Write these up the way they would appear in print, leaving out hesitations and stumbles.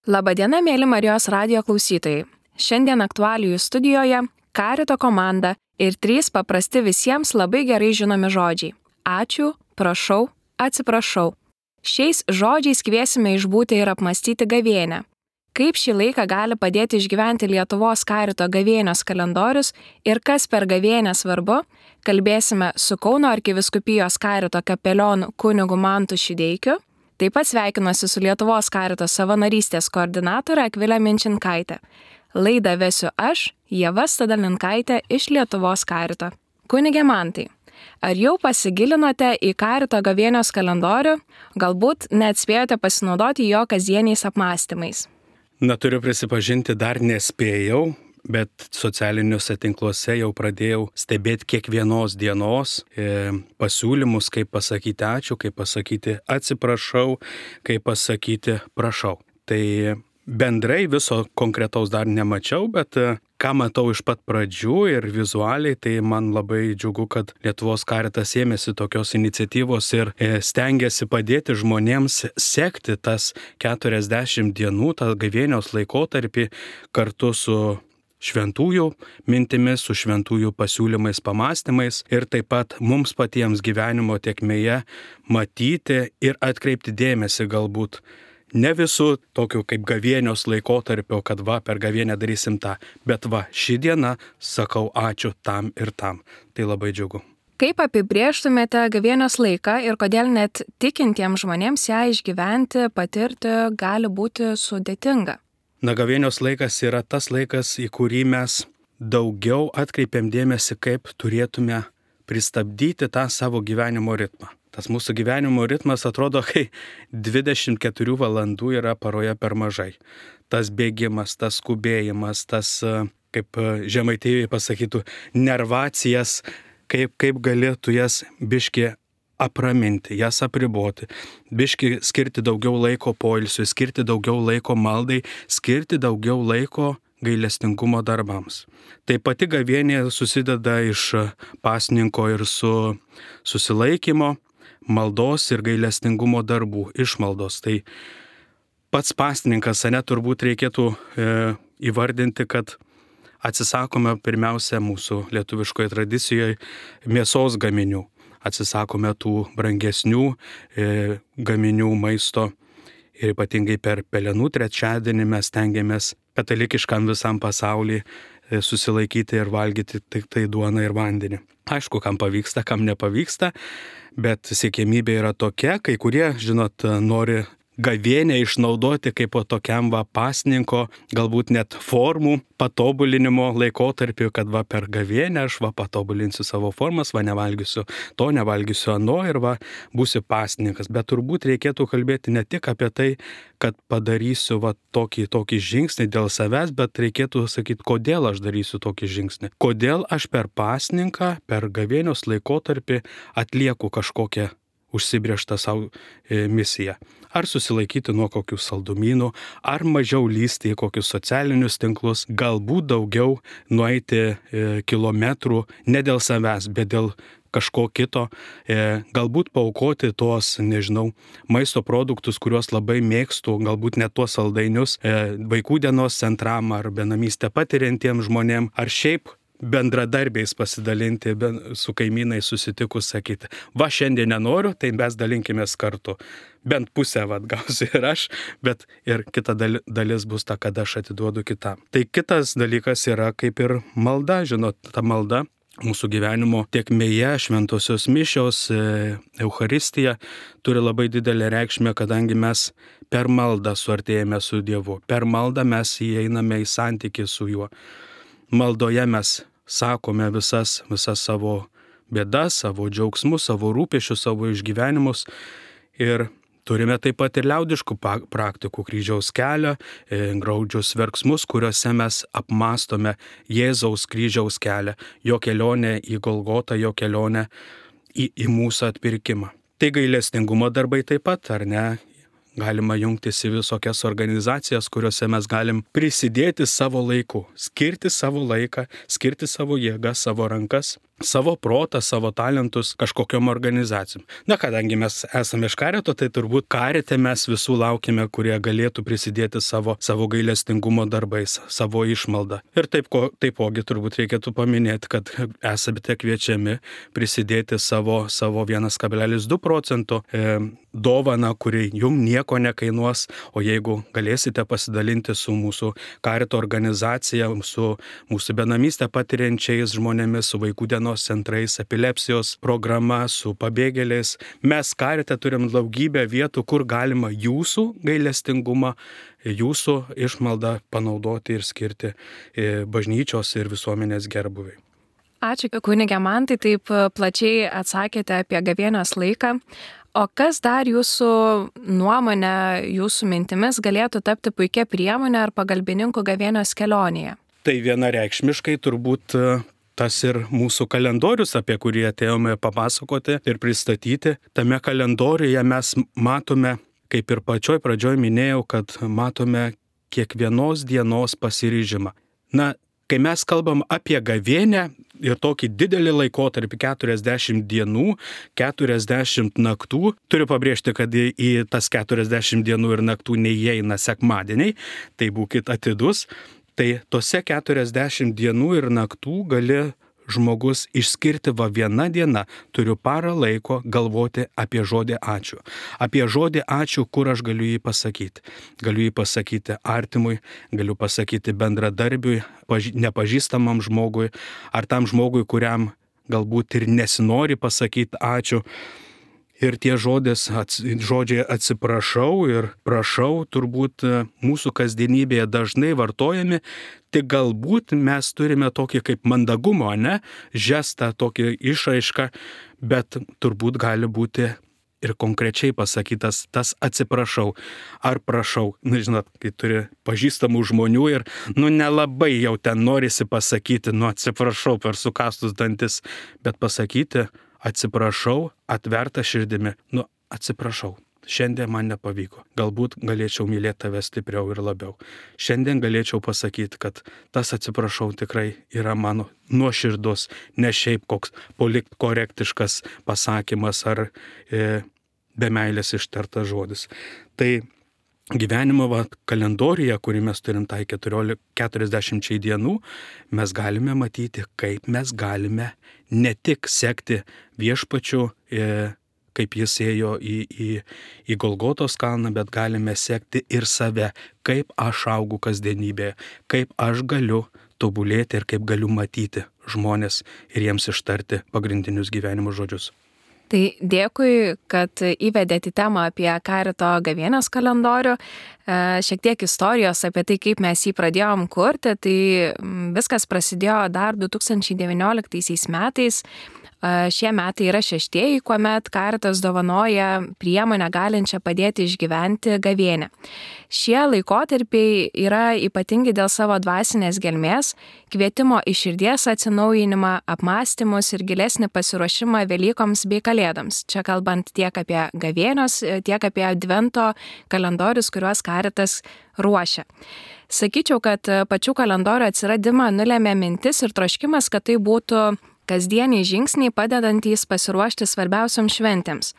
Labadiena, mėly Marijos radijo klausytojai. Šiandien aktualijų studijoje Karito komanda ir 3 paprasti visiems labai gerai žinomi žodžiai. Ačiū, prašau, atsiprašau. Šiais žodžiais kviesime išbūti ir apmastyti gavėnią. Kaip šį laiką gali padėti išgyventi Lietuvos Karito gavėnios kalendorius ir kas per gavėnę svarbu, kalbėsime su Kauno arkivyskupijos Karito kapelionu kunigu Mantu Šideikiu. Taip pat sveikinuosi su Lietuvos Karito savanorystės koordinatore Akvilė Minčinkaitė. Laidą vesiu aš, Ieva Stadalinkaitė iš Lietuvos Karito. Kunige Mantai, ar jau pasigilinote į Karito gavėnios kalendorių, galbūt neatspėjote pasinaudoti jo kasdieniais apmąstymais? Turiu prisipažinti, dar nespėjau, bet socialiniuose tinkluose jau pradėjau stebėti kiekvienos dienos pasiūlymus, kaip pasakyti ačiū, kaip pasakyti atsiprašau, kaip pasakyti prašau. Tai bendrai viso konkretaus dar nemačiau, bet ką matau iš pat pradžių ir vizualiai, tai man labai džiugu, kad Lietuvos Karitas ėmėsi tokios iniciatyvos ir stengiasi padėti žmonėms sekti tas 40 dienų, tą gavėnios laikotarpį kartu su šventųjų mintimis, su šventųjų pasiūlymais, pamąstymais ir taip pat mums patiems gyvenimo tėkmėje matyti ir atkreipti dėmesį galbūt ne visų tokių kaip gavėnios laikotarpio, kad per gavėnę darysim tą, bet ši diena sakau ačiū tam ir tam. Tai labai džiugu. Kaip apibrėžtumėte gavėnios laiką ir kodėl net tikintiems žmonėms ją išgyventi, patirti gali būti sudėtinga? Gavėnios laikas yra tas laikas, į kurį mes daugiau atkreipiam dėmesį, kaip turėtume pristabdyti tą savo gyvenimo ritmą. Tas mūsų gyvenimo ritmas atrodo, kai 24 valandų yra paroje per mažai. Tas bėgimas, tas skubėjimas, tas, kaip žemaitieji pasakytų, nervacijas, kaip galėtų jas biški apraminti, jas apriboti, biški skirti daugiau laiko poilsiui, skirti daugiau laiko maldai, skirti daugiau laiko gailestingumo darbams. Tai pati gavėnė susideda iš pasninko ir susilaikymo, maldos ir gailestingumo darbų, išmaldos. Tai pats pasninkas, turbūt reikėtų įvardinti, kad atsisakome pirmiausia mūsų lietuviškoje tradicijoje mėsos gaminių. Atsisakome tų brangesnių gaminių maisto ir ypatingai per Pelenų trečiadienį mes stengiamės katalikiškam visam pasauliui susilaikyti ir valgyti tik tai duoną ir vandenį. Aišku, kam pavyksta, kam nepavyksta, bet siekiamybė yra tokia, kai kurie, nori gavėnę išnaudoti kaip po tokiam pasninko, galbūt net formų patobulinimo laikotarpiu, kad per gavėnę aš patobulinsiu savo formas, nevalgysiu to, nevalgysiu ano ir būsiu pasninkas. Bet turbūt reikėtų kalbėti ne tik apie tai, kad padarysiu tokį žingsnį dėl savęs, bet reikėtų sakyti, kodėl aš darysiu tokį žingsnį. Kodėl aš per pasninką, per gavėnios laikotarpį atlieku kažkokią užsibrėžtą savo misiją. Ar susilaikyti nuo kokių saldumynų, ar mažiau lysti į kokius socialinius tinklus, galbūt daugiau nueiti kilometrų ne dėl savęs, bet dėl kažko kito, galbūt paaukoti tuos, maisto produktus, kuriuos labai mėgstu, galbūt net tuos saldainius vaikų dienos centram ar benamystę patiriantiems žmonėms, ar šiaip bendradarbiais pasidalinti, su kaimynais susitikus sakyti, šiandien nenoriu, tai mes dalinkimės kartu. Bent pusę gausiu ir aš, bet ir kita dalis bus ta, kad aš atiduodu kitam. Tai kitas dalykas yra kaip ir malda, ta malda mūsų gyvenimo tėkmėje, šventosios mišios, Eucharistija turi labai didelę reikšmę, kadangi mes per maldą suartėjame su Dievu. Per maldą mes įeiname į santykį su Juo. Maldoje mes sakome visas savo bėdas, savo džiaugsmus, savo rūpesčius, savo išgyvenimus ir turime taip pat ir liaudiškų praktikų, kryžiaus kelią, graudžius verksmus, kuriuose mes apmastome Jėzaus kryžiaus kelią, jo kelionę į Golgotą, jo kelionę į mūsų atpirkimą. Tai gailestingumo darbai taip pat, ar ne? galima jungtis į visokias organizacijas, kuriuose mes galim prisidėti savo laiku, skirti savo laiką, skirti savo jėgas, savo rankas, savo protą, savo talentus kažkokiom organizacijom. Na, kadangi mes esame iš Karito, tai turbūt Karite mes visų laukime, kurie galėtų prisidėti savo gailestingumo darbais, savo išmaldą. Ir taipogi turbūt reikėtų paminėti, kad esate kviečiami prisidėti savo 1,2 procento dovaną, kuri jums nieko nekainuos, o jeigu galėsite pasidalinti su mūsų Karito organizacija, su mūsų benamystę patiriančiais žmonėmis, su vaikų dienos centrais, epilepsijos programa, su pabėgėliais. Mes Karite turim daugybę vietų, kur galima jūsų gailestingumą, jūsų išmaldą panaudoti ir skirti bažnyčios ir visuomenės gerbūviai. Ačiū, kunige Mantai, taip plačiai atsakėte apie gavėnios laiką. O kas dar jūsų nuomonė, jūsų mintimis galėtų tapti puikia priemonė ar pagalbininku gavėnios kelionėje? Tai vienareikšmiškai turbūt tas ir mūsų kalendorius, apie kurį atėjome papasakoti ir pristatyti. Tame kalendoriuje mes matome, kaip ir pačioj pradžioj minėjau, kad matome kiekvienos dienos pasiryžimą. Na, kai mes kalbam apie gavėnią ir tokį didelį laikotarpį 40 dienų, 40 naktų, turiu pabrėžti, kad į tas 40 dienų ir naktų neįeina sekmadieniai, tai būkit atidus, tai tose 40 dienų ir naktų gali žmogus išskirti vieną dieną, turiu parą laiko galvoti apie žodį ačiū. Apie žodį ačiū, kur aš galiu jį pasakyti. Galiu jį pasakyti artimui, galiu pasakyti bendradarbiui, nepažįstamam žmogui, ar tam žmogui, kuriam galbūt ir nesinori pasakyti ačiū. Ir tie žodžiai atsiprašau ir prašau turbūt mūsų kasdienybėje dažnai vartojami, tik galbūt mes turime tokį kaip mandagumo, žestą, tokį išraišką, bet turbūt gali būti ir konkrečiai pasakytas tas atsiprašau ar prašau. Žinot, kai turi pažįstamų žmonių ir nelabai jau ten norisi pasakyti, atsiprašau per sukastus dantis, bet pasakyti atsiprašau, atverta širdimi, atsiprašau, šiandien man nepavyko, galbūt galėčiau mylėti tave stipriau ir labiau. Šiandien galėčiau pasakyti, kad tas atsiprašau tikrai yra mano nuoširdus, ne šiaip koks politkorektiškas pasakymas ar be meilės ištartas žodis. Tai gyvenimo kalendoriuje, kurį mes turim tai 40 dienų, mes galime matyti, kaip mes galime ne tik sekti viešpačiu, kaip jis ėjo į Golgotos kalną, bet galime sekti ir save, kaip aš augu kasdienybėje, kaip aš galiu tobulėti ir kaip galiu matyti žmonės ir jiems ištarti pagrindinius gyvenimo žodžius. Tai dėkui, kad įvedėte temą apie Karito gavėnios kalendorių. Šiek tiek istorijos apie tai, kaip mes jį pradėjom kurti. Tai viskas prasidėjo dar 2019 metais. Šie metai yra 6, kuomet Karitas dovanoja priemonę galinčią padėti išgyventi gavėnią. Šie laikotarpiai yra ypatingi dėl savo dvasinės gelmės, kvietimo į širdies atsinaujinimą, apmąstymus ir gilesnį pasiruošimą Velykoms bei Kalėdoms. Čia kalbant tiek apie gavėnios, tiek apie advento kalendorius, kuriuos Karitas ruošia. Sakyčiau, kad pačių kalendorių atsiradimą nulėmė mintis ir troškimas, kad tai būtų kasdieniai žingsniai padedantys pasiruošti svarbiausioms šventėms.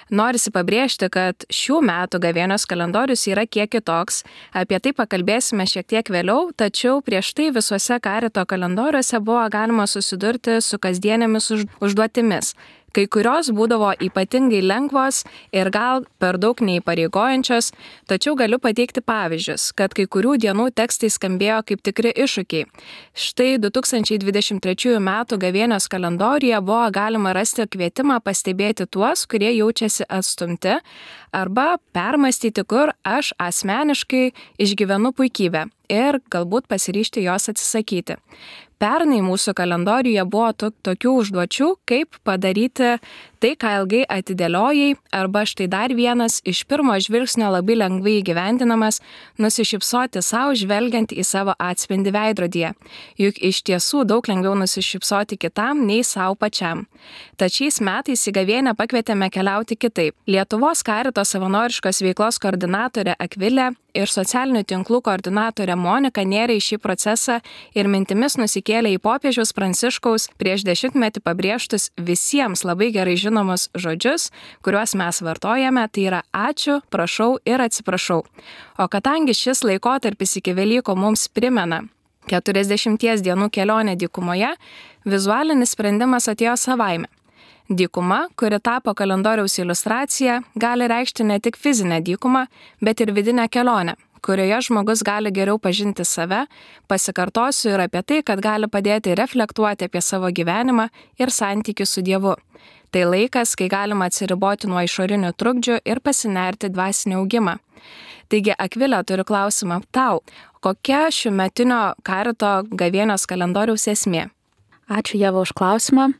Norisi pabrėžti, kad šių metų gavėnios kalendorius yra kiek kitoks, apie tai pakalbėsime šiek tiek vėliau, tačiau prieš tai visuose Karito kalendoriuose buvo galima susidurti su kasdienėmis užduotimis. Kai kurios būdavo ypatingai lengvos ir gal per daug neįpareigojančios, tačiau galiu pateikti pavyzdžius, kad kai kurių dienų tekstai skambėjo kaip tikri iššūkiai. Štai 2023 metų gavėnios kalendoriuje buvo galima rasti kvietimą pastebėti tuos, kurie jaučiasi atstumti, arba permastyti, kur aš asmeniškai išgyvenu puikybę ir galbūt pasiryžti jos atsisakyti. Pernai mūsų kalendoriuje buvo tokių užduočių, kaip padaryti Tai, ką ilgai atidėliojai, arba štai dar vienas iš pirmo žvilgsnio labai lengvai įgyvendinamas, nusišypsoti savo žvelgiant į savo atspindį veidrodyje. Juk iš tiesų daug lengviau nusišypsoti kitam nei savo pačiam. Tad šiais metais į gavėnią pakvietėme keliauti kitaip. Lietuvos Karito savanoriškos veiklos koordinatorė Akvilė ir socialinių tinklų koordinatorė Monika nėrė į šį procesą ir mintimis nusikėlė į popiežiaus Pranciškaus prieš 10-metį pabrėžtus visiems labai gerai žinomus žodžius, kuriuos mes vartojame, tai yra ačiū, prašau ir atsiprašau. O kadangi šis laikotarpis iki Velykų mums primena 40 dienų kelionę dykumoje, vizualinis sprendimas atėjo savaime. Dykuma, kuri tapo kalendoriaus iliustracija, gali reikšti ne tik fizinę dykumą, bet ir vidinę kelionę, kurioje žmogus gali geriau pažinti save, pasikartosiu ir apie tai, kad gali padėti reflektuoti apie savo gyvenimą ir santykių su Dievu. Tai laikas, kai galima atsiriboti nuo išorinių trukdžių ir pasinerti dvasinį augimą. Taigi, Akvilė, turiu klausimą tau. Kokia šiųmetinio Karito gavėnios kalendoriaus esmė? Ačiū, Ieva, už klausimą.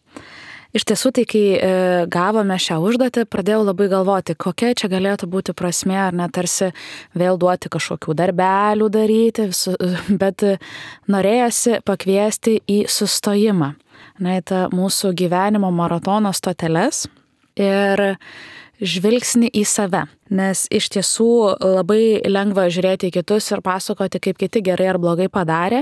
Iš tiesų, tai kai gavome šią užduotį, pradėjau labai galvoti, kokia čia galėtų būti prasmė, ar net tarsi vėl duoti kažkokių darbelių daryti, bet norėjosi pakviesti į sustojimą, į tą mūsų gyvenimo maratono stoteles ir žvilgsnį į save. Nes iš tiesų labai lengva žiūrėti į kitus ir pasakoti, kaip kiti gerai ar blogai padarė.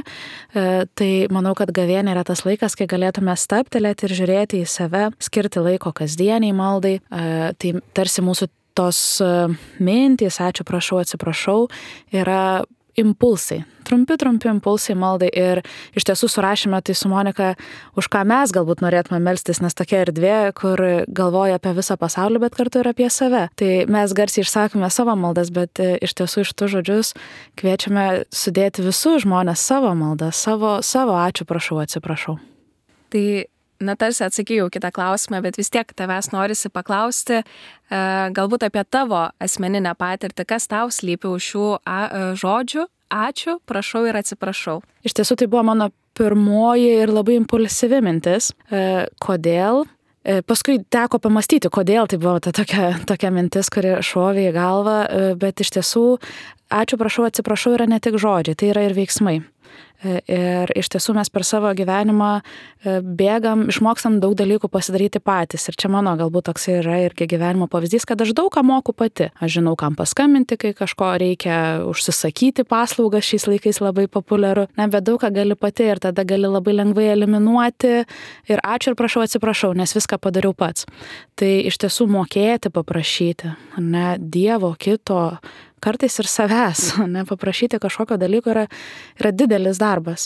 Tai manau, kad gavėnė yra tas laikas, kai galėtume stabtelėti ir žiūrėti į save, skirti laiko kasdieniai maldai. Tai tarsi mūsų tos mintys, ačiū, prašau, atsiprašau, yra impulsai. Trumpi impulsai maldai ir iš tiesų surašėme tai su Monika, už ką mes galbūt norėtume melstis, nes tokia erdvė, kur galvoja apie visą pasaulį, bet kartu ir apie save. Tai mes garsiai išsakome savo maldas, bet iš tiesų iš tų žodžius kviečiame sudėti visus žmonės savo maldas, savo ačiū, prašau, atsiprašau. Tai tarsi atsakėjau kitą klausimą, bet vis tiek tavęs norisi paklausti galbūt apie tavo asmeninę patirtį, kas tau slypi už šių žodžių. Ačiū, prašau ir atsiprašau. Iš tiesų tai buvo mano pirmoji ir labai impulsyvi mintis. Kodėl? Paskui teko pamastyti, kodėl tai buvo ta tokia mintis, kuri šovė į galvą, bet iš tiesų ačiū, prašau, atsiprašau yra ne tik žodžiai, tai yra ir veiksmai. Ir iš tiesų mes per savo gyvenimą bėgam, išmokstam daug dalykų pasidaryti patys. Ir čia mano galbūt toks yra irgi gyvenimo pavyzdys, kad aš daug ką moku pati. Aš žinau, kam paskambinti, kai kažko reikia, užsisakyti paslaugas šiais laikais labai populiaru. Bet daug ką gali pati ir tada gali labai lengvai eliminuoti ir ačiū ir prašau, atsiprašau, nes viską padariau pats. Tai iš tiesų mokėti, paprašyti, Dievo, kito, kartais ir savęs, paprašyti kažkokio dalyko yra didelis darbas.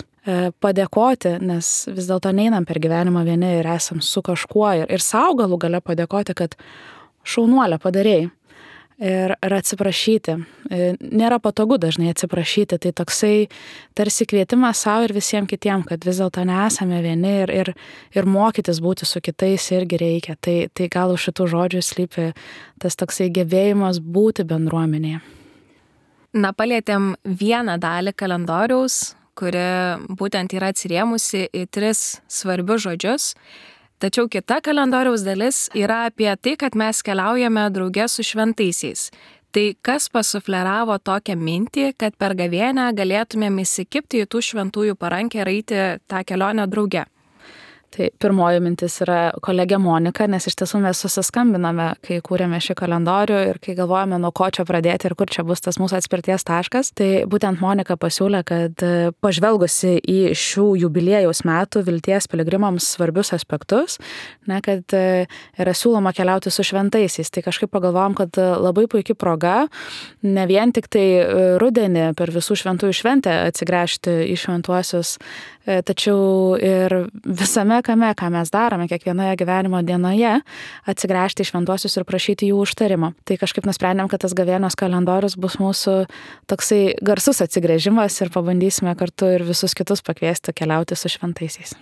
Padėkoti, nes vis dėlto neinam per gyvenimą vieni ir esam su kažkuo ir savo galų gale padėkoti, kad šaunuolę padarėjai. Ir atsiprašyti. Nėra patogu dažnai atsiprašyti, tai toksai tarsi kvietimas savo ir visiems kitiems, kad vis dėlto nesame vieni ir mokytis būti su kitais irgi reikia. Tai gal už šitų žodžių slypi tas toksai gebėjimas būti bendruomenėje. Palietėm vieną dalį kalendoriaus, kuri būtent yra atsirėmusi į 3 svarbius žodžius. Tačiau kita kalendoriaus dalis yra apie tai, kad mes keliaujame drauge su šventaisiais. Tai kas pasufleravo tokią mintį, kad per gavėnią galėtumėm įsikibti į tų šventųjų parankę ir eiti tą kelionę drauge? Tai pirmoji mintis yra kolegė Monika, nes iš tiesų mes susiskambiname, kai kūrėme šį kalendorių ir kai galvojame, nuo ko čia pradėti ir kur čia bus tas mūsų atspirties taškas. Tai būtent Monika pasiūlė, kad pažvelgusi į šių jubiliejaus metų vilties piligrimams svarbius aspektus, kad yra siūloma keliauti su šventaisiais. Tai kažkaip pagalvojom, kad labai puikia proga ne vien tik tai rudenį per visų šventųjų šventę atsigręžti į šventuosius, tačiau ir visame kame, ką mes darome kiekvienoje gyvenimo dienoje, atsigręžti į šventuosius ir prašyti jų užtarimo. Tai kažkaip nusprendėm, kad tas gavėnios kalendorius bus mūsų toksai garsus atsigręžimas ir pabandysime kartu ir visus kitus pakviesti keliauti su šventaisiais.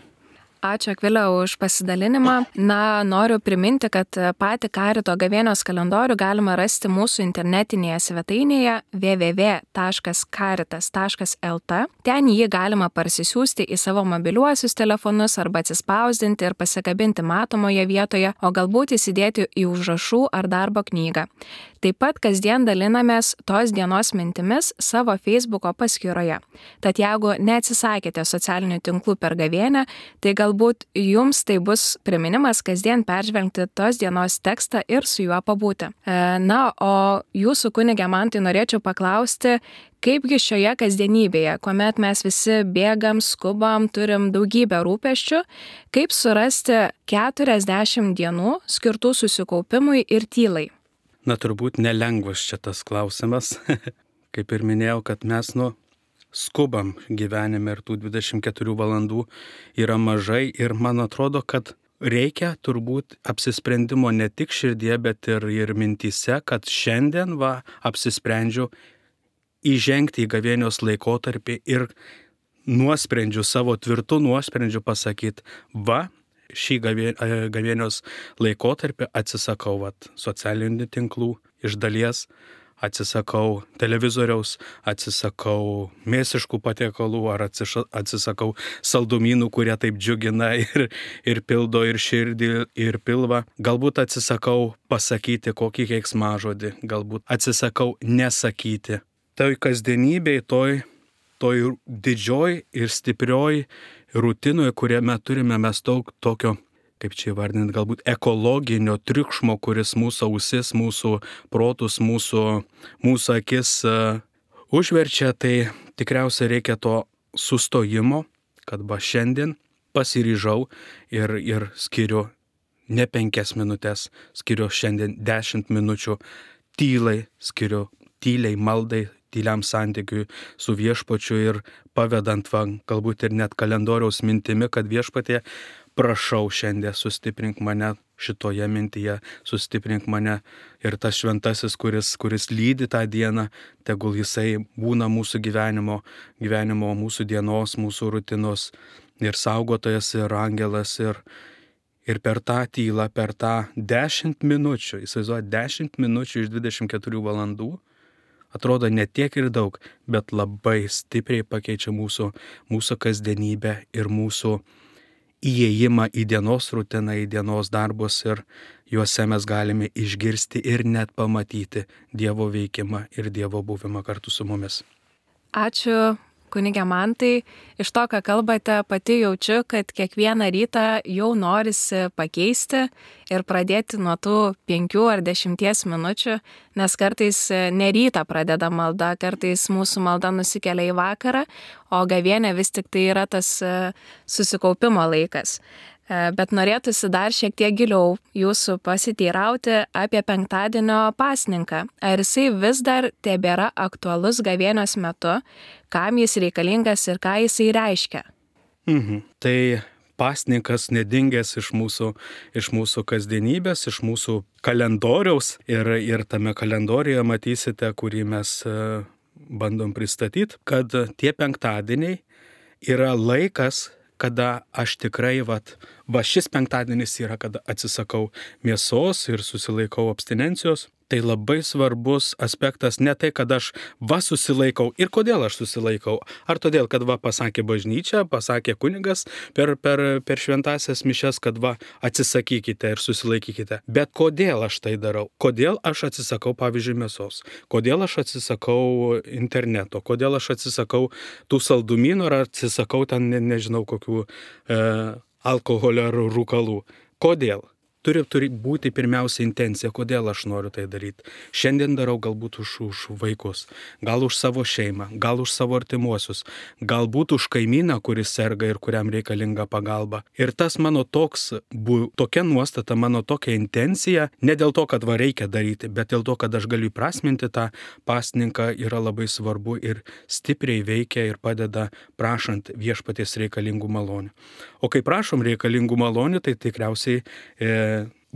Ačiū Akvilė už pasidalinimą. Na, noriu priminti, kad patį Karito gavėnios kalendorių galima rasti mūsų internetinėje svetainėje www.caritas.lt. Ten jį galima parsisiųsti į savo mobiliuosius telefonus arba atsispausdinti ir pasikabinti matomoje vietoje, o galbūt įsidėti į užrašų ar darbo knygą. Taip pat kasdien dalinamės tos dienos mintimis savo Facebooko paskyroje. Tad jeigu neatsisakėte socialinių tinklų per gavėnią, tai galbūt jums tai bus priminimas kasdien peržvelgti tos dienos tekstą ir su juo pabūti. Na, o jūsų kunige man tai norėčiau paklausti, kaipgi šioje kasdienybėje, kuomet mes visi bėgam, skubam, turim daugybę rūpesčių, kaip surasti 40 dienų skirtų susikaupimui ir tylai? Na, turbūt nelengvas čia tas klausimas. Kaip ir minėjau, kad mes skubam gyvenime ir tų 24 valandų yra mažai ir man atrodo, kad reikia turbūt apsisprendimo ne tik širdie, bet ir mintyse, kad šiandien apsisprendžiu įžengti į gavėnios laikotarpį ir nuosprendžiu, savo tvirtų nuosprendžiu pasakyti, šį gavėnios laikotarpį atsisakau socialinių tinklų iš dalies, atsisakau televizoriaus, atsisakau mėsiškų patiekalų ar atsisakau saldumynų, kurie taip džiugina ir pildo ir širdį, ir pilvą. Galbūt atsisakau pasakyti kokį keiksmažodį, galbūt atsisakau nesakyti. Tai kasdienybėj, toj didžioj ir stiprioj rutinoje, kuriame turime mes daug tokio, kaip čia įvardinti, galbūt ekologinio triukšmo, kuris mūsų ausis, mūsų protus, mūsų akis užverčia, tai tikriausiai reikia to sustojimo, kad šiandien pasiryžau ir skiriu ne 5 minutės, skiriu šiandien 10 minučių tylai, skiriu tyliai maldai, tyliam santykiui su viešpačiu ir pavedant galbūt ir net kalendoriaus mintimi, kad viešpatie, prašau šiandien sustiprink mane šitoje mintyje, sustiprink mane ir tas šventasis, kuris lydi tą dieną, tegul jisai būna mūsų gyvenimo, mūsų dienos, mūsų rutinos ir saugotojas, ir angelas, ir per tą tylą, per tą 10 minučių, įsivaizduoju, 10 minučių iš 24 valandų, atrodo ne tiek ir daug, bet labai stipriai pakeičia mūsų kasdienybę ir mūsų įėjimą į dienos rutiną, į dienos darbus ir juose mes galime išgirsti ir net pamatyti Dievo veikimą ir Dievo buvimą kartu su mumis. Ačiū, kunige Mantai. Iš to, ką kalbate, pati jaučiu, kad kiekvieną rytą jau norisi pakeisti ir pradėti nuo tų 5 ar 10 minučių, nes kartais ne rytą pradeda malda, kartais mūsų malda nusikelia į vakarą, o gavėnė vis tik tai yra tas susikaupimo laikas. Bet norėtųsi dar šiek tiek giliau jūsų pasiteirauti apie penktadienio pasninką. Ar jisai vis dar tebėra aktualus gavėnios metu, kam jis reikalingas ir ką jisai reiškia? Tai pasninkas nedingęs iš mūsų kasdienybės, iš mūsų kalendoriaus ir tame kalendorijoje matysite, kurį mes bandom pristatyti, kad tie penktadieniai yra laikas, kada aš tikrai, šis penktadienis yra, kada atsisakau mėsos ir susilaikau abstinencijos. Tai labai svarbus aspektas ne tai, kad aš susilaikau. Ir kodėl aš susilaikau? Ar todėl, kad pasakė bažnyčia, pasakė kunigas per šventasias mišias, kad atsisakykite ir susilaikykite. Bet kodėl aš tai darau? Kodėl aš atsisakau, pavyzdžiui, mėsos? Kodėl aš atsisakau interneto? Kodėl aš atsisakau tų saldumynų ar atsisakau ten, nežinau, kokių alkoholio ar rūkalų? Kodėl? Turi būti pirmiausia intencija, kodėl aš noriu tai daryti. Šiandien darau galbūt už vaikus, gal už savo šeimą, gal už savo artimuosius, galbūt už kaimyną, kuris serga ir kuriam reikalinga pagalba. Ir tas mano tokia nuostata, mano tokia intencija, ne dėl to, kad reikia daryti, bet dėl to, kad aš galiu įprasminti tą pasninką, yra labai svarbu ir stipriai veikia ir padeda prašant viešpaties reikalingų malonių. O kai prašom reikalingų malonių, tai tikriausiai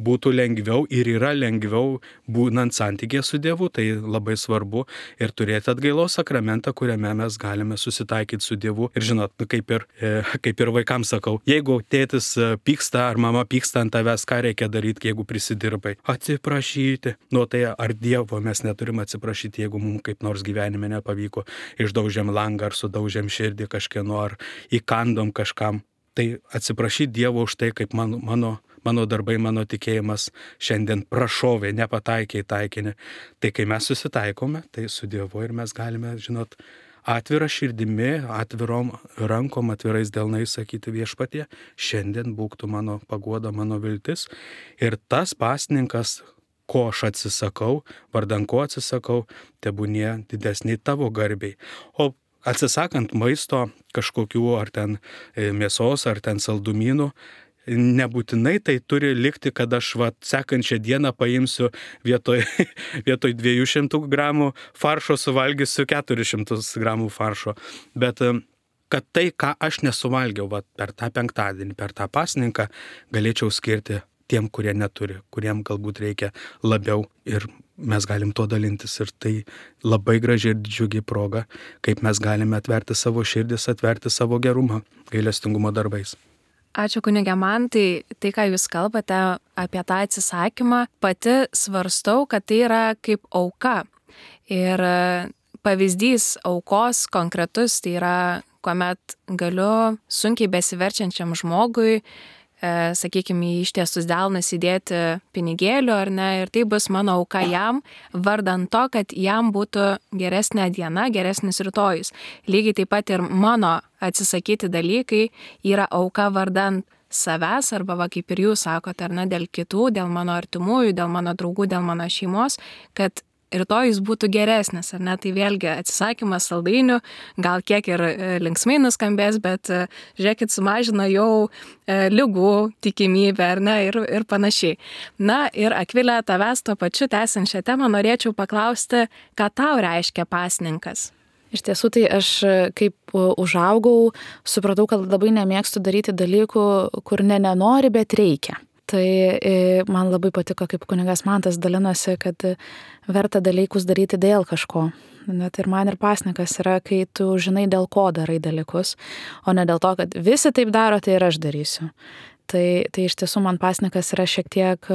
būtų lengviau ir yra lengviau būnant santykėje su Dievu, tai labai svarbu ir turėti atgailos sakramentą, kuriame mes galime susitaikyti su Dievu. Ir žinot, kaip ir vaikams sakau, jeigu tėtis pyksta ar mama pyksta ant tavęs, ką reikia daryti, jeigu prisidirbai? Atsiprašyti. Nu tai ar Dievo mes neturim atsiprašyti, jeigu mums kaip nors gyvenime nepavyko, išdaužėm langą ar sudaužėm širdį kažkieno ar įkandom kažkam. Tai atsiprašyti Dievo už tai, kaip mano darbai, mano tikėjimas šiandien prašovė, nepataikė į taikinį. Tai kai mes susitaikome, tai su Dievu ir mes galime, žinot, atvira širdimi, atvirom rankom, atvirais delnais sakyti Viešpatie, šiandien būk tu mano paguoda, mano viltis. Ir tas pasninkas, ko aš atsisakau, vardan ko atsisakau, tebūnie didesni tavo garbiai. O atsisakant maisto kažkokių ar ten mėsos, ar ten saldumynų, nebūtinai tai turi likti, kad aš sekančią dieną paimsiu vietoj 200 gramų faršo suvalgysiu 400 gramų faršo. Bet kad tai, ką aš nesuvalgiau per tą penktadienį, per tą pasninką, galėčiau skirti tiem, kurie neturi, kuriem galbūt reikia labiau ir mes galim to dalintis. Ir tai labai graži ir džiugi proga, kaip mes galime atverti savo širdis, atverti savo gerumą gailestingumo darbais. Ačiū kunige Mantai, tai ką jūs kalbate apie tą atsisakymą, pati svarstau, kad tai yra kaip auka. Ir pavyzdys aukos konkretus, tai yra, kuomet galiu sunkiai besiverčiančiam žmogui, sakykime, į ištiestus delnus įdėti pinigėlių ar ne, ir tai bus mano auka jam, vardan to, kad jam būtų geresnė diena, geresnis rytojus. Lygiai taip pat ir mano atsisakyti dalykai yra auka vardan savęs, arba kaip ir jūs sakote, ar ne, dėl kitų, dėl mano artimųjų, dėl mano draugų, dėl mano šeimos, kad rytojus būtų geresnis, ar ne, tai vėlgi atsisakymas saldainių, gal kiek ir linksmai nuskambės, bet žiūrėkit, sumažina jau ligų tikimybę, ar ne, ir panašiai. Na ir Akvilė, tavęs tuo pačiu tęsiant šią temą norėčiau paklausti, ką tau reiškia pasninkas? Iš tiesų, tai aš kaip užaugau, supratau, kad labai nemėgstu daryti dalykų, kur nenori, bet reikia. Tai man labai patiko, kaip kunigas Mantas dalinosi, kad verta dalykus daryti dėl kažko. Net ir man ir pasninkas yra, kai tu žinai, dėl ko darai dalykus, o ne dėl to, kad visi taip daro, tai ir aš darysiu. Tai iš tiesų man pasninkas yra šiek tiek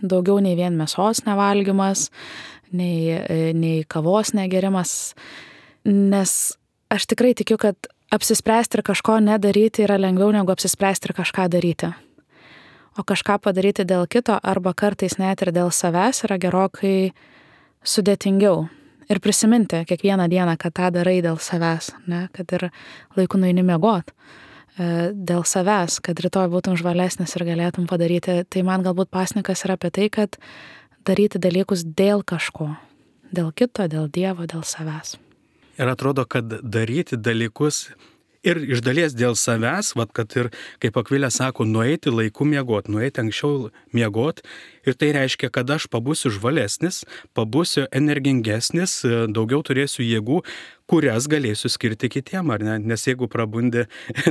daugiau nei vien mėsos nevalgymas, nei kavos negerimas, nes aš tikrai tikiu, kad apsispręsti ir kažko nedaryti yra lengviau negu apsispręsti ir kažką daryti. O kažką padaryti dėl kito arba kartais net ir dėl savęs yra gerokai sudėtingiau. Ir prisiminti kiekvieną dieną, kad tą darai dėl savęs, ne? Kad ir laiku nueini miegot dėl savęs, kad rytoj būtum žvalesnis ir galėtum padaryti. Tai man galbūt pasninkas yra apie tai, kad daryti dalykus dėl kažko. Dėl kito, dėl Dievo, dėl savęs. Ir atrodo, kad daryti dalykus ir iš dalies dėl savęs, kad ir, kaip Akvilė sako, nueiti laiku miegot, nueiti anksčiau miegot. Ir tai reiškia, kad aš pabūsiu žvalesnis, pabūsiu energingesnis, daugiau turėsiu jėgų, kurias galėsiu skirti kitiem, ar ne? Nes jeigu prabundi,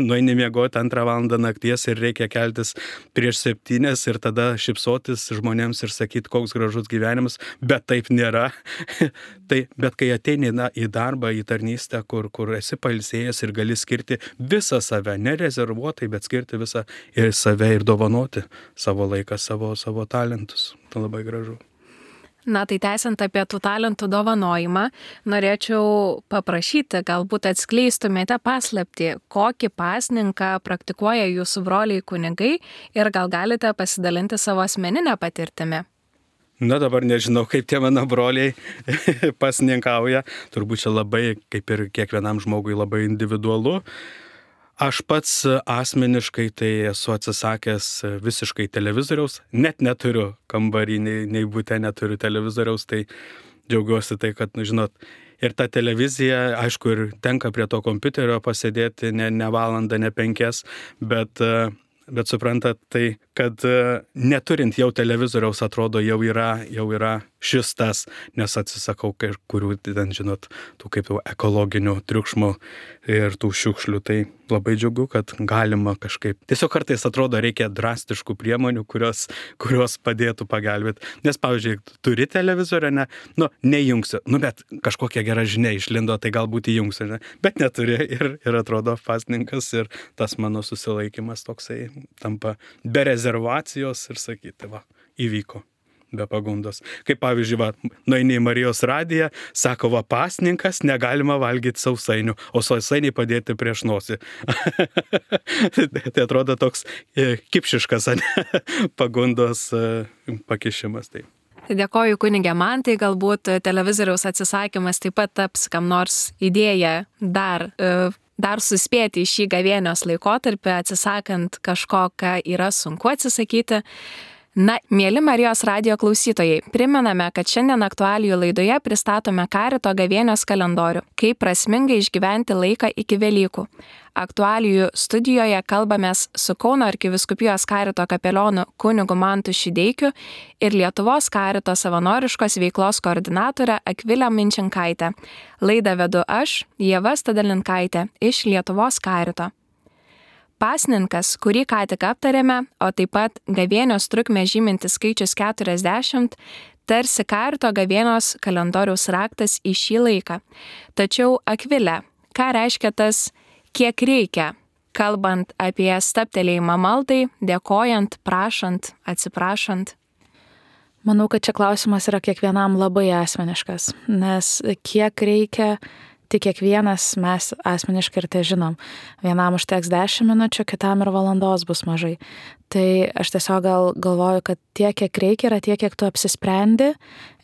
nueini miegoti 2 valandą nakties ir reikia keltis prieš 7 ir tada šypsotis žmonėms ir sakyti, koks gražus gyvenimas, bet taip nėra. Bet kai ateini į darbą, į tarnystę, kur esi pailsėjęs ir gali skirti visą save, nerezervuotai, bet skirti visą ir save ir dovanoti savo laiką, savo talentus. Tai labai gražu. Na, tai tęsiant apie tų talentų dovanojimą, norėčiau paprašyti, galbūt atskleistumėte paslaptį, kokį pasninką praktikuoja jūsų broliai kunigai ir gal galite pasidalinti savo asmeninę patirtimį. Na, dabar nežinau, kaip tie mano broliai pasninkauja. Turbūt čia labai, kaip ir kiekvienam žmogui, labai individualu. Aš pats asmeniškai tai esu atsisakęs visiškai televizoriaus, net neturiu kambarį, nei bute neturiu televizoriaus, tai džiaugiuosi tai, kad, žinot, ir ta televizija, aišku, ir tenka prie to kompiuterio pasėdėti ne valandą, ne 5, bet suprantat, tai kad neturint jau televizoriaus atrodo jau yra šis tas, nes atsisakau kurių, ten žinot, tų kaip jau ekologinių triukšmų ir tų šiukšlių. Tai labai džiugu, kad galima kažkaip. Tiesiog kartais atrodo reikia drastiškų priemonių, kurios padėtų pagelbėti. Nes, pavyzdžiui, turi televizorių, neįjungsiu. Bet kažkokia gera žinia išlindo, tai galbūt įjungsiu, ne? Bet neturi ir atrodo pasninkas ir tas mano susilaikimas toksai tampa be rezervacijos ir sakyti, įvyko. Be pagundos. Kaip pavyzdžiui, nueini į Marijos radiją, sako, pasninkas, negalima valgyti sausainių, o sausainiai padėti prieš nosį. Tai atrodo toks kipšiškas pagundos pakišimas. Tai. Dėkoju kunige Mantai, galbūt televizoriaus atsisakymas taip pat taps kam nors idėja dar suspėti į šį gavėnios laikotarpį, atsisakant kažko, ką yra sunku atsisakyti. Mieli Marijos radijo klausytojai, primename, kad šiandien aktualijų laidoje pristatome Karito gavėnios kalendorių, kaip prasmingai išgyventi laiką iki Velykų. Aktualijų studijoje kalbamės su Kauno arkivyskupijos Karito kapelionu kunigu Mantu Šideikiu ir Lietuvos Karito savanoriškos veiklos koordinatore Akvilė Minčinkaitė. Laidą vedu aš, Ieva Stadalinkaitė iš Lietuvos Karito. Pasninkas, kurį ką tik aptarėme, o taip pat gavėnios trukmę žymintis skaičius 40, tarsi Karito gavėnios kalendoriaus raktas į šį laiką. Tačiau, Akvilė, ką reiškia tas kiek reikia, kalbant apie stabtelėjimą maldai, dėkojant, prašant, atsiprašant? Manau, kad čia klausimas yra kiekvienam labai asmeniškas, nes kiek reikia, tik kiekvienas mes asmeniškai ir tai žinom. Vienam užteks 10 minučių, kitam ir valandos bus mažai. Tai aš tiesiog galvoju, kad tiek, kiek reikia, yra tiek, kiek tu apsisprendi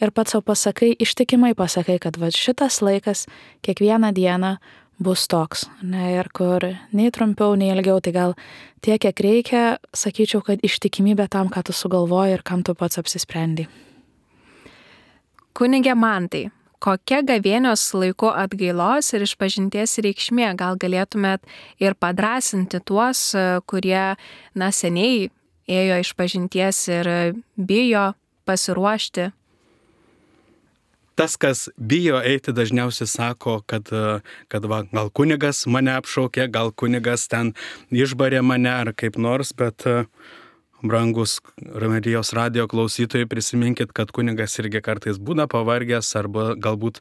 ir pats savo pasakai, ištikimai pasakai, kad šitas laikas kiekvieną dieną bus toks. Ir kur nei trumpiau, nei ilgiau, tai gal tiek, kiek reikia, sakyčiau, kad ištikimybė tam, ką tu sugalvoji ir kam tu pats apsisprendi. Kunige Mantai, kokia gavėnios laiku atgailos ir išpažinties reikšmė? Gal galėtumėt ir padrąsinti tuos, kurie seniai ėjo išpažinties ir bijo pasiruošti? Tas, kas bijo eiti, dažniausiai sako, kad gal kunigas mane apšaukė, gal kunigas ten išbarė mane ar kaip nors, bet brangus Marijos radijo klausytojai, prisiminkit, kad kunigas irgi kartais būna pavargęs arba galbūt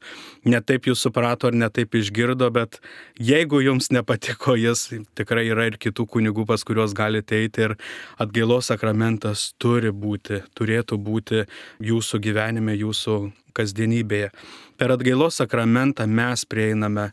netaip jūs suprato ar netaip išgirdo, bet jeigu jums nepatiko jis, tikrai yra ir kitų kunigų, pas kuriuos galite eiti ir atgailos sakramentas turėtų būti jūsų gyvenime, jūsų kasdienybėje. Per atgailos sakramentą mes prieiname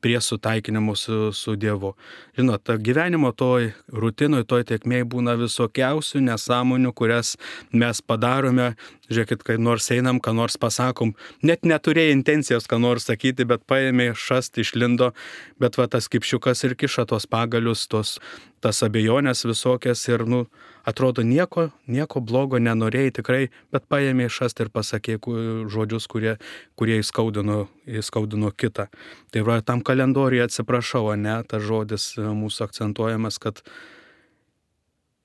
prie sutaikinimo su Dievu. Žinot, gyvenimo toj rutinoj, toj tėkmėj būna visokiausių nesąmonių, kurias mes padarome. Žiūrėkit, kai nors einam, ką nors pasakom, net neturėjo intencijos ką nors sakyti, bet paėmė šast, išlindo, bet tas kipšiukas ir kiša tos pagalius, tas abejonės visokias ir, atrodo nieko blogo nenorėjai tikrai, bet paėmė šast ir pasakė žodžius, kurie įskaudino kitą. Tai tam kalendoriuje atsiprašau, tas žodis mūsų akcentuojamas, kad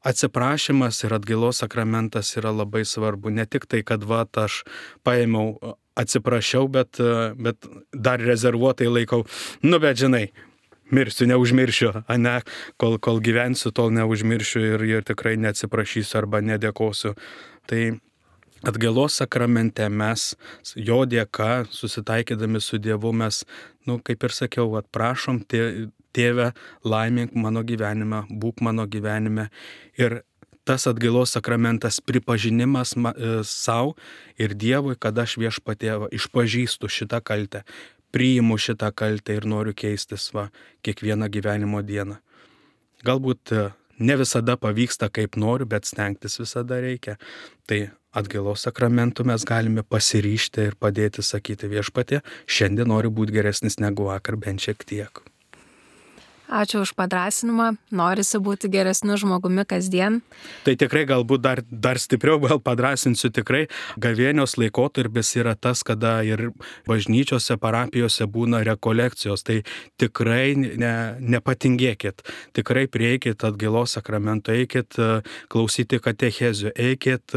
atsiprašymas ir atgailos sakramentas yra labai svarbu. Ne tik tai, kad aš paėmiau, atsiprašiau, bet dar rezervuotai laikau. Bet žinai, mirsiu, neužmiršiu, kol gyvensiu, tol neužmiršiu ir tikrai neatsiprašysiu arba nedėkosiu. Tai atgailos sakramente mes, jo dėka, susitaikydami su Dievu, mes, kaip ir sakiau, prašom Tėve, laimink mano gyvenimą, būk mano gyvenime. Ir tas atgailos sakramentas pripažinimas savo ir Dievui, kad aš Viešpatie išpažįstu šitą kaltę, priimu šitą kaltę ir noriu keistis kiekvieną gyvenimo dieną. Galbūt ne visada pavyksta kaip noriu, bet stengtis visada reikia. Tai atgailos sakramentu mes galime pasiryžti ir padėti sakyti Viešpatie, šiandien noriu būti geresnis negu vakar, bent šiek tiek. Ačiū už padrąsinimą, norisi būti geresniu žmogumi kasdien. Tai tikrai galbūt dar stipriau gal padrąsinsiu, tikrai gavėnios laikotarpis yra tas, kada ir bažnyčiose, parapijose būna rekolekcijos. Tai tikrai nepatingėkit, tikrai prieikit atgailos sakramento, eikit klausyti katechezių, eikit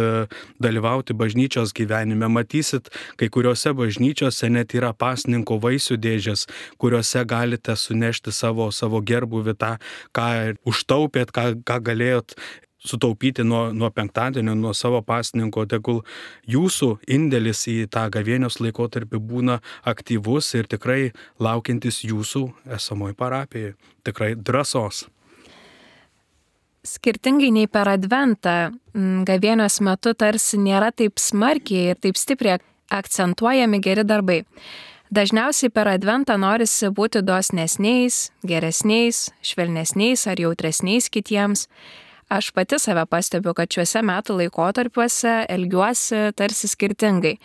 dalyvauti bažnyčios gyvenime. Matysit, kai kuriuose bažnyčiose net yra pasninko vaisių dėžės, kuriuose galite sunešti savo gerbuvį tą, ką užtaupėt, ką galėjot sutaupyti nuo penktadienio, nuo savo pasninko. Tegul jūsų indėlis į tą gavėnios laikotarpį būna aktyvus ir tikrai laukiantis jūsų esamoj parapijai. Tikrai drąsos. Skirtingai nei per Adventą, gavėnios metu tarsi nėra taip smarkiai ir taip stipriai akcentuojami geri darbai. Dažniausiai per Adventą norisi būti dosnesniais, geresniais, švelnesniais ar jautresniais kitiems. Aš pati save pastebiu, kad šiuose metų laikotarpiuose elgiuosi tarsi skirtingai.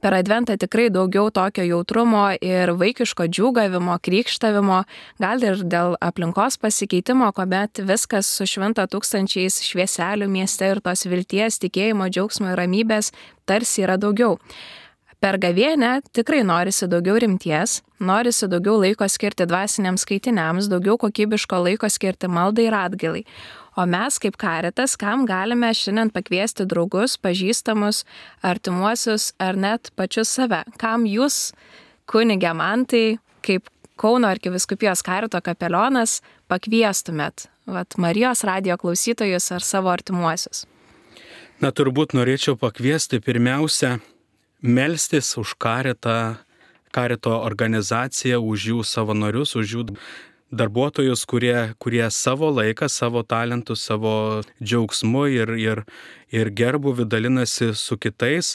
Per Adventą tikrai daugiau tokio jautrumo ir vaikiško džiūgavimo, krykštavimo, gal ir dėl aplinkos pasikeitimo, kuomet viskas sušvinta tūkstančiais švieselių mieste ir tos vilties, tikėjimo, džiaugsmo ir ramybės tarsi yra daugiau. Per gavėnę tikrai norisi daugiau rimties, norisi daugiau laiko skirti dvasiniams skaitiniams, daugiau kokybiško laiko skirti maldai ir atgailai. O mes kaip Caritas, kam galime šiandien pakviesti draugus, pažįstamus, artimuosius ar net pačius save? Kam jūs, kunige Mantai, kaip Kauno arkivyskupijos Carito kapelionas, pakviestumėt Marijos radijo klausytojus ar savo artimuosius? Na, turbūt norėčiau pakviesti pirmiausia melstis už Carito organizaciją, už jų savanorius, už jų darbuotojus, kurie savo laiką, savo talentų, savo džiaugsmu ir gerbūvį dalinasi su kitais.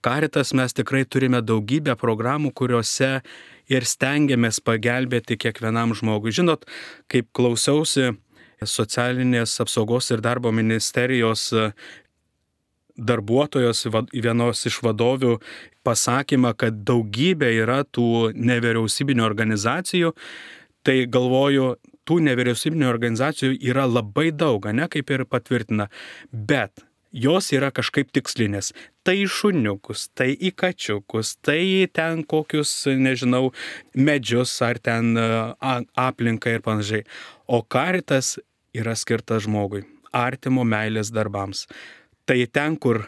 Caritas mes tikrai turime daugybę programų, kuriuose ir stengiamės pagelbėti kiekvienam žmogui. Žinot, kaip klausiausi socialinės apsaugos ir darbo ministerijos darbuotojos, vienos iš vadovių pasakymą, kad daugybė yra tų nevyriausybinių organizacijų, tai galvoju, tų nevyriausybinių organizacijų yra labai daug, ne, kaip ir patvirtina, bet jos yra kažkaip tikslinės. Tai į šuniukus, tai į kačiukus, tai ten kokius, nežinau, medžius ar ten aplinką ir panašiai. O Caritas yra skirtas žmogui, artimo meilės darbams. Tai ten, kur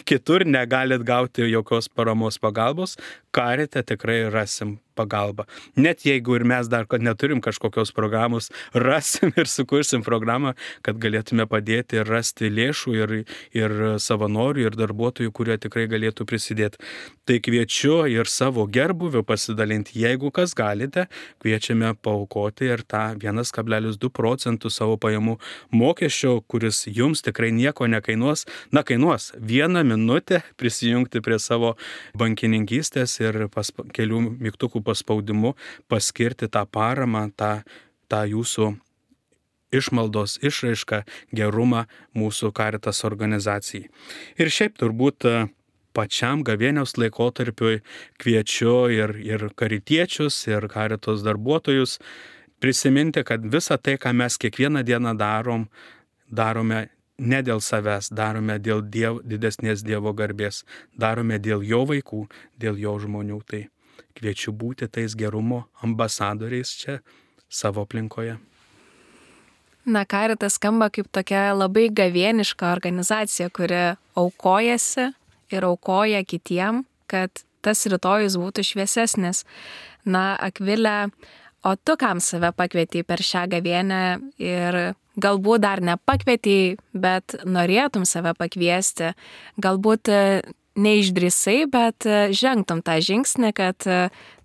kitur negalit gauti jokios paramos pagalbos, Carite tikrai rasim pagalbą. Net jeigu ir mes dar neturim kažkokios programos, rasim ir sukursim programą, kad galėtume padėti ir rasti lėšų ir savanorių, ir darbuotojų, kurie tikrai galėtų prisidėti. Tai kviečiu ir savo gerbūviu pasidalinti. Jeigu kas galite, kviečiame paaukoti ir tą 1,2 procentų savo pajamų mokesčio, kuris jums tikrai nieko nekainuos. Na, kainuos 1 minutę prisijungti prie savo bankininkystės ir kelių mygtukų paspaudimu paskirti tą paramą, tą jūsų išmaldos išraišką, gerumą mūsų Caritas organizacijai. Ir šiaip turbūt pačiam gavėnios laikotarpiui kviečiu ir karitiečius, ir Caritos darbuotojus prisiminti, kad visą tai, ką mes kiekvieną dieną darome ne dėl savęs, darome dėl didesnės Dievo garbės, darome dėl jo vaikų, dėl jo žmonių. Tai kviečiu būti tais gerumo ambasadoriais čia savo aplinkoje. Na, Caritas skamba kaip tokia labai gavėniška organizacija, kuri aukojasi ir aukoja kitiem, kad tas rytojus būtų šviesesnis. Na, Akvilė, o tu kam save pakvietei per šią gavėnę ir galbūt dar nepakvietei, bet norėtum save pakviesti, galbūt neišdrįsai, bet žengtum tą žingsnį, kad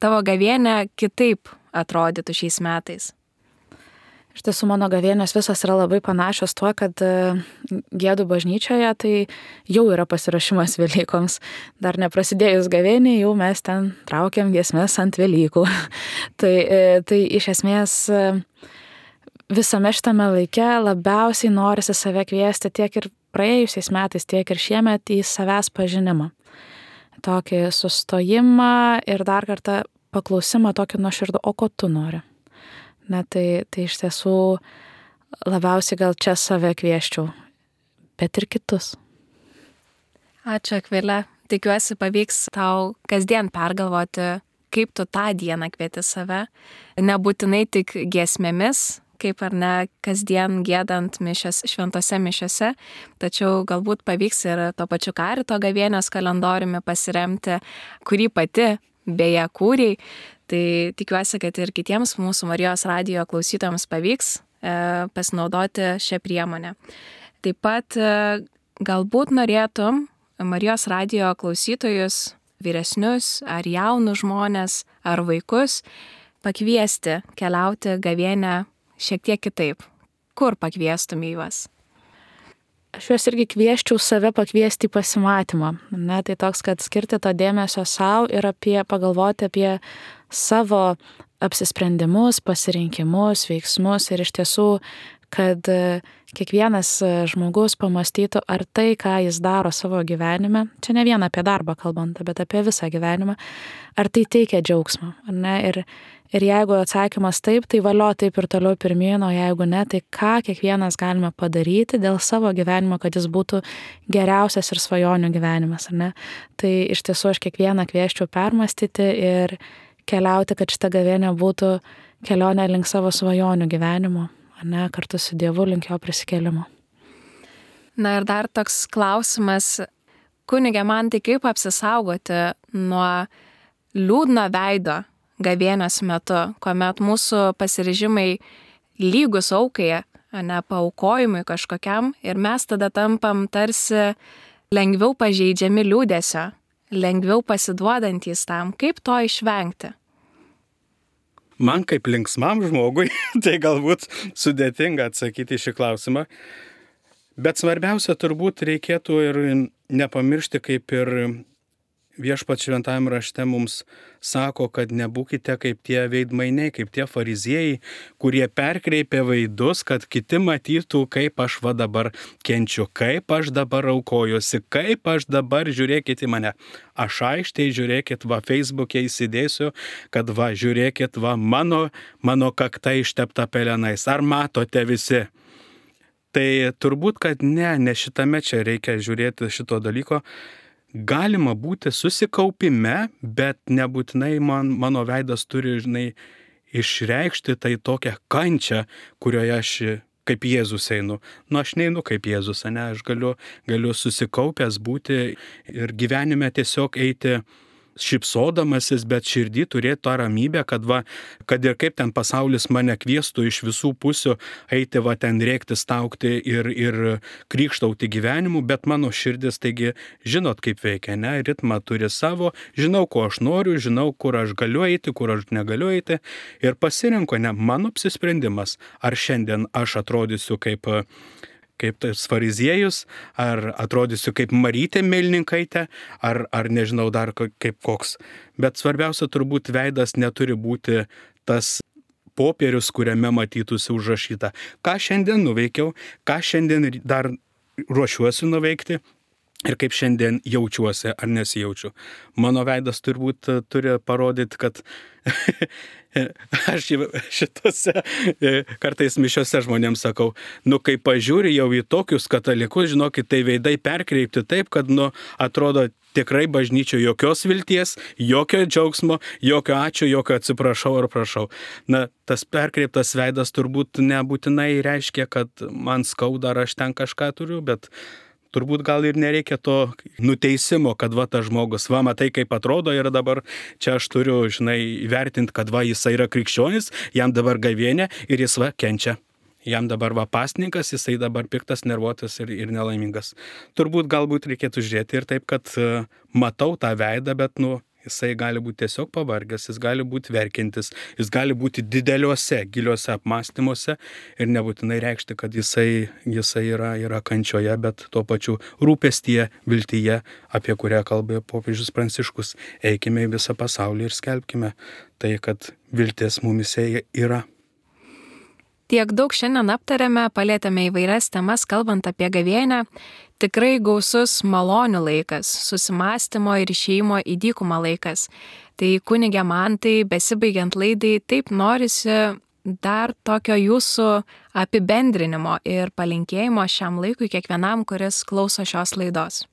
tavo gavėnė kitaip atrodytų šiais metais? Iš tiesų, mano gavėnės visos yra labai panašios tuo, kad Gėdų bažnyčioje tai jau yra pasiruošimas Velykoms. Dar neprasidėjus gavėnė, jau mes ten traukiam giesmes ant Velykų. Tai iš esmės visame šitame laike labiausiai norisi save kviesti tiek ir praėjusiais metais, tiek ir šiemet į savęs pažinimą. Tokį sustojimą ir dar kartą paklausimą tokį nuoširdų, o ko tu nori? Na, tai iš tiesų labiausiai gal čia save kvieščiau, bet ir kitus. Ačiū, Akvilė. Tikiuosi pavyks tau kasdien pergalvoti, kaip tu tą dieną kvieti save. Nebūtinai tik giesmėmis, kaip ar ne kasdien giedant šventose mišiose, tačiau galbūt pavyks ir to pačiu Karito gavėnios kalendoriumi pasiremti, kurį pati beje kūrei. Tai tikiuosi, kad ir kitiems mūsų Marijos radijo klausytojams pavyks pasinaudoti šią priemonę. Taip pat galbūt norėtum Marijos radijo klausytojus, vyresnius ar jaunus žmonės ar vaikus pakviesti keliauti gavėnią šiek tiek kitaip. Kur pakviestum juos? Aš juos irgi kvieščiau save pakviesti į pasimatymą. Ne, tai toks, kad skirti to dėmesio savo ir pagalvoti apie savo apsisprendimus, pasirinkimus, veiksmus ir iš tiesų, kad kiekvienas žmogus pamastytų, ar tai, ką jis daro savo gyvenime, čia ne vien apie darbą kalbant, bet apie visą gyvenimą, ar tai teikia džiaugsmą, ar ne? Ir jeigu atsakymas taip, tai valio taip ir toliau pirmyn, o jeigu ne, tai ką kiekvienas galime padaryti dėl savo gyvenimo, kad jis būtų geriausias ir svajonių gyvenimas, ar ne? Tai iš tiesų aš kiekvieną kvieščiau permastyti ir keliauti, kad šita gavėnė būtų kelionė link savo svajonių gyvenimo, ar ne, kartu su Dievu link jo prisikėlimo. Na ir dar toks klausimas, kunige Mantai, kaip apsisaugoti nuo liūdno veido gavėnios metu, kuomet mūsų pasiryžimai lygus aukai, ne paaukojimui kažkokiam, ir mes tada tampam tarsi lengviau pažeidžiami liūdesio, lengviau pasiduodantys tam. Kaip to išvengti? Man kaip linksmam žmogui, tai galbūt sudėtinga atsakyti šį klausimą, bet svarbiausia turbūt reikėtų ir nepamiršti, kaip ir Viešpats šventajame rašte mums sako, kad nebūkite kaip tie veidmainiai, kaip tie fariziejai, kurie perkreipė veidus, kad kiti matytų, kaip aš va dabar kenčiu, kaip aš dabar aukojuosi, kaip aš dabar žiūrėkit į mane. Aš aiškiai žiūrėkit, va Facebook'e įsidėsiu, kad va žiūrėkit, va mano kakta ištepta pelenais. Ar matote visi? Tai turbūt, kad ne šitame čia reikia žiūrėti šito dalyko. Galima būti susikaupime, bet nebūtinai mano veidas turi, išreikšti tai tokią kančią, kurioje aš kaip Jėzus einu. Aš neinu kaip Jėzus, ne, aš galiu susikaupęs būti ir gyvenime tiesiog eiti šypsodamasis, bet širdį turėti tą ramybę, kad ir kaip ten pasaulis mane kviestų iš visų pusių eiti ten rėkti, staukti ir krykštauti gyvenimu, bet mano širdis, taigi, žinot kaip veikia, ne, ritmą turi savo, žinau, ko aš noriu, žinau, kur aš galiu eiti, kur aš negaliu eiti ir pasirinko, ne, mano apsisprendimas, ar šiandien aš atrodysiu kaip tas fariziejus, ar atrodysiu kaip Marytė Melnikaitė, ar nežinau dar kaip koks. Bet svarbiausia turbūt veidas neturi būti tas popierius, kuriame matytųsi užrašyta. Ką šiandien nuveikiau, ką šiandien dar ruošiuosi nuveikti ir kaip šiandien jaučiuosi ar nesijaučiu. Mano veidas turbūt turi parodyti, kad aš šitose kartais mišiose žmonėms sakau, kai pažiūri jau į tokius katalikus, žinokit, tai veidai perkreipti taip, kad, atrodo tikrai bažnyčio jokios vilties, jokio džiaugsmo, jokio ačiū, jokio atsiprašau ar prašau. Tas perkreiptas veidas turbūt nebūtinai reiškia, kad man skauda ar aš ten kažką turiu, bet turbūt gal ir nereikia to nuteisimo, kad tas žmogus, matai kaip atrodo ir dabar čia aš turiu, įvertinti, kad jisai yra krikščionis, jam dabar gavėnė ir jis kenčia. Jam dabar pasninkas, jisai dabar piktas, nervuotas ir nelaimingas. Turbūt galbūt reikėtų žiūrėti ir taip, kad matau tą veidą, bet jisai gali būti tiesiog pavargęs, jis gali būti verkiantis, jis gali būti dideliuose, giliuose apmąstymuose ir nebūtinai reikšti, kad jisai yra kančioje, bet tuo pačiu rūpestyje, viltyje, apie kurią kalbėjo popiežius Pranciškus. Eikime į visą pasaulį ir skelbkime tai, kad viltis mumise yra. Tiek daug šiandien aptarėme, palėtėme įvairias temas, kalbant apie gavėnią. Tikrai gausus malonių laikas, susimąstymo ir išėjimo į dykumą laikas. Tai kunige Mantai, besibaigiant laidai, taip norisi dar tokio jūsų apibendrinimo ir palinkėjimo šiam laikui kiekvienam, kuris klauso šios laidos.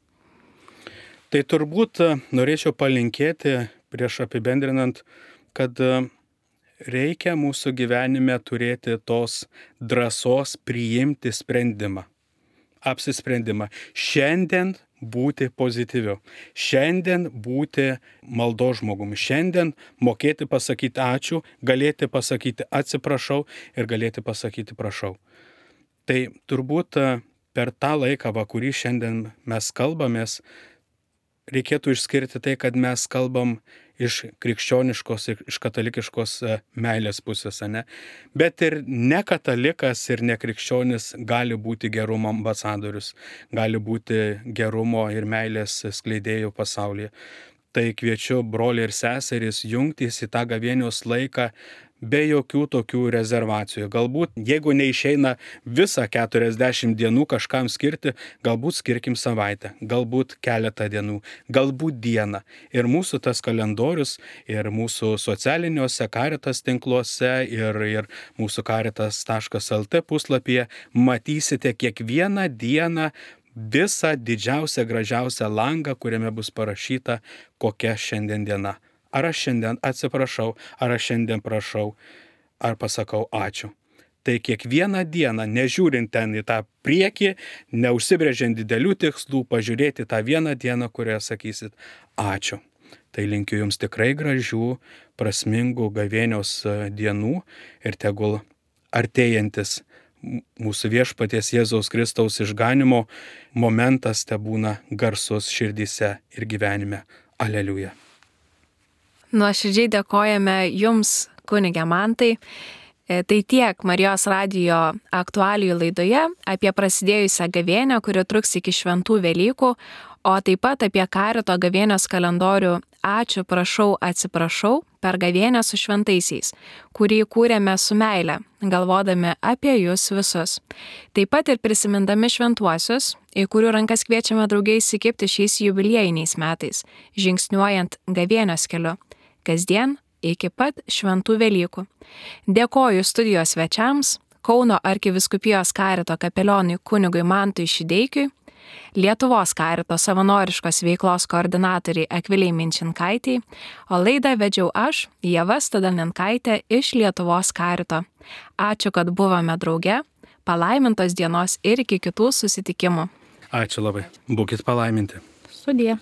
Tai turbūt norėčiau palinkėti prieš apibendrinant, kad reikia mūsų gyvenime turėti tos drąsos priimti sprendimą, apsisprendimą. Šiandien būti pozityviu, šiandien būti maldos žmogumi, šiandien mokėti pasakyti ačiū, galėti pasakyti atsiprašau ir galėti pasakyti prašau. Tai turbūt per tą laiką, kurį šiandien mes kalbamės, reikėtų išskirti tai, kad mes kalbam iš krikščioniškos ir iš katalikiškos meilės pusės, ne? Bet ir ne katalikas ir ne krikščionis gali būti gerumo ambasadorius, gali būti gerumo ir meilės skleidėjų pasaulyje. Tai kviečiu broliai ir seserys jungtis į tą gavėnios laiką be jokių tokių rezervacijų. Galbūt, jeigu neišeina visą 40 dienų kažkam skirti, galbūt skirkim savaitę, galbūt keletą dienų, galbūt dieną. Ir mūsų tas kalendorius, ir mūsų socialiniuose Caritas tinkluose, ir mūsų caritas.lt puslapyje matysite kiekvieną dieną visą didžiausią, gražiausią langą, kuriame bus parašyta, kokia šiandien diena. Ar aš šiandien atsiprašau, ar aš šiandien prašau, ar pasakau ačiū. Tai kiekvieną dieną, nežiūrint ten į tą priekį, neužsibrėžiant didelių tikslų, pažiūrėti tą vieną dieną, kurioje sakysit ačiū. Tai linkiu jums tikrai gražių, prasmingų gavėnios dienų ir tegul artėjantis mūsų viešpaties Jėzaus Kristaus išganimo momentas tebūna garsus širdyse ir gyvenime. Aleliuja. Nuoširdžiai dėkojame Jums, kunige Mantai. Tai tiek Marijos radijo aktualijų laidoje apie prasidėjusią gavėnią, kuri truks iki šventų Velykų, o taip pat apie Carito gavėnios kalendorių Ačiū, prašau, atsiprašau per gavėnę su šventaisiais, kurį kūrėme su meile, galvodami apie Jūs visus. Taip pat ir prisimindami šventuosius, į kurių rankas kviečiame draugiai įsikibti šiais jubiliejiniais metais, žingsniuojant gavėnios keliu, kasdien iki pat šventų Velykų. Dėkoju studijos svečiams, Kauno arkivyskupijos Carito kapelionui kunigui Mantui Šideikiui, Lietuvos Carito savanoriškos veiklos koordinatoriai Akvilei Minčinkaitei, o laidą vedžiau aš, Ieva Stadalinkaitė iš Lietuvos Carito. Ačiū, kad buvome drauge, palaimintos dienos ir iki kitų susitikimų. Ačiū labai, būkit palaiminti. Sudie.